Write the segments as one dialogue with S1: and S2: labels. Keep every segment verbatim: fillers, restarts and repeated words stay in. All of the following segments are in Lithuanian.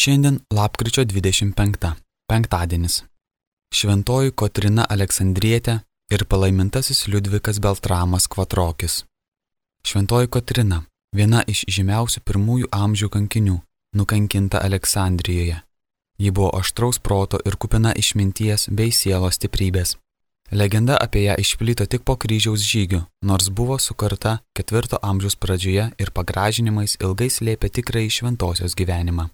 S1: Šiandien lapkričio dvidešimt penkta, penktadienis. Šventoji Kotryna Aleksandrietė ir palaimintasis Liudvikas Beltramas Kvatrokis. Šventoji Kotryna, viena iš žymiausių pirmųjų amžių kankinių, nukankinta Aleksandrijoje. Ji buvo aštraus proto ir kupina išminties bei sielos stiprybės. Legenda apie ją išplito tik po kryžiaus žygių, nors buvo sukurta ketvirto amžiaus pradžioje ir pagražinimais ilgai slėpė tikrąjį šventosios gyvenimą.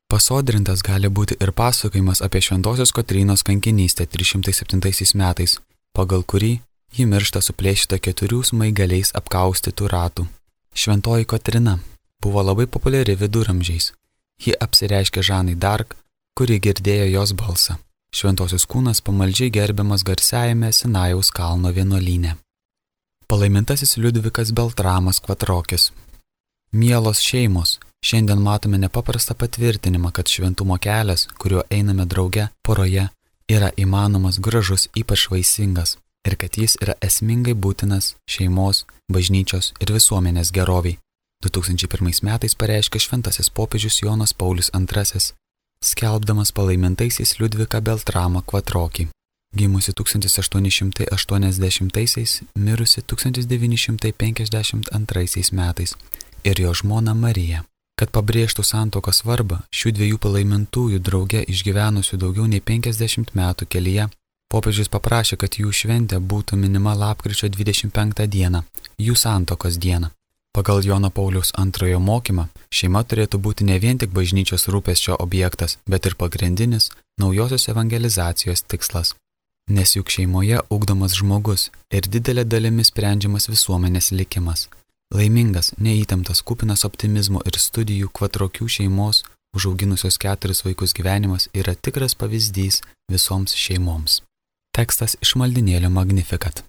S1: Pasodrintas gali būti ir pasakojimas apie šventosios Kotrynos kankinystę trys šimtai septintaisiais metais, pagal kurį ji miršta suplėšyta keturių smaigaliais apkaustytų ratų. Šventoji Kotryna buvo labai populiari viduramžiais. Ji apsireiškė Žanai d'Arc, kuri girdėjo jos balsą. Šventosios kūnas pamaldžiai gerbiamas garsiajame Sinajaus kalno vienuolyne. Palaimintasis Liudvikas Beltramas Kvatrokis. Mielos šeimos, šiandien matome nepaprastą patvirtinimą, kad šventumo kelias, kuriuo einame drauge poroje, yra įmanomas, gražus, ypač vaisingas ir kad jis yra esmingai būtinas šeimos, bažnyčios ir visuomenės geroviai. du tūkstančiai pirmais metais pareiškė šventasis popiežius Jonas Paulius antrasis, skelbdamas palaimintaisiais Liudviką Beltramą Kvatrokį, gimusi tūkstantis aštuoni šimtai aštuoniasdešimtaisiais, mirusi tūkstantis devyni šimtai penkiasdešimt antraisiais metais, ir jo žmona Marija. Kad pabrėžtų santuokos svarbą, šių dviejų palaimintųjų drauge išgyvenusių daugiau nei penkiasdešimt metų kelyje, popiežius paprašė, kad jų šventė būtų minima lapkričio dvidešimt penktą dieną, jų santuokos dieną. Pagal Jono Pauliaus antrojo mokymą, šeima turėtų būti ne vien tik bažnyčios rūpesčio objektas, bet ir pagrindinis naujosios evangelizacijos tikslas. Nes juk šeimoje ugdomas žmogus ir didelė dalimi sprendžiamas visuomenės likimas. Laimingas, neįtemptas, kupinas optimizmo ir studijų Kvatrokių šeimos, užauginusios keturis vaikus gyvenimas yra tikras pavyzdys visoms šeimoms. Tekstas iš maldynėlio Magnificat.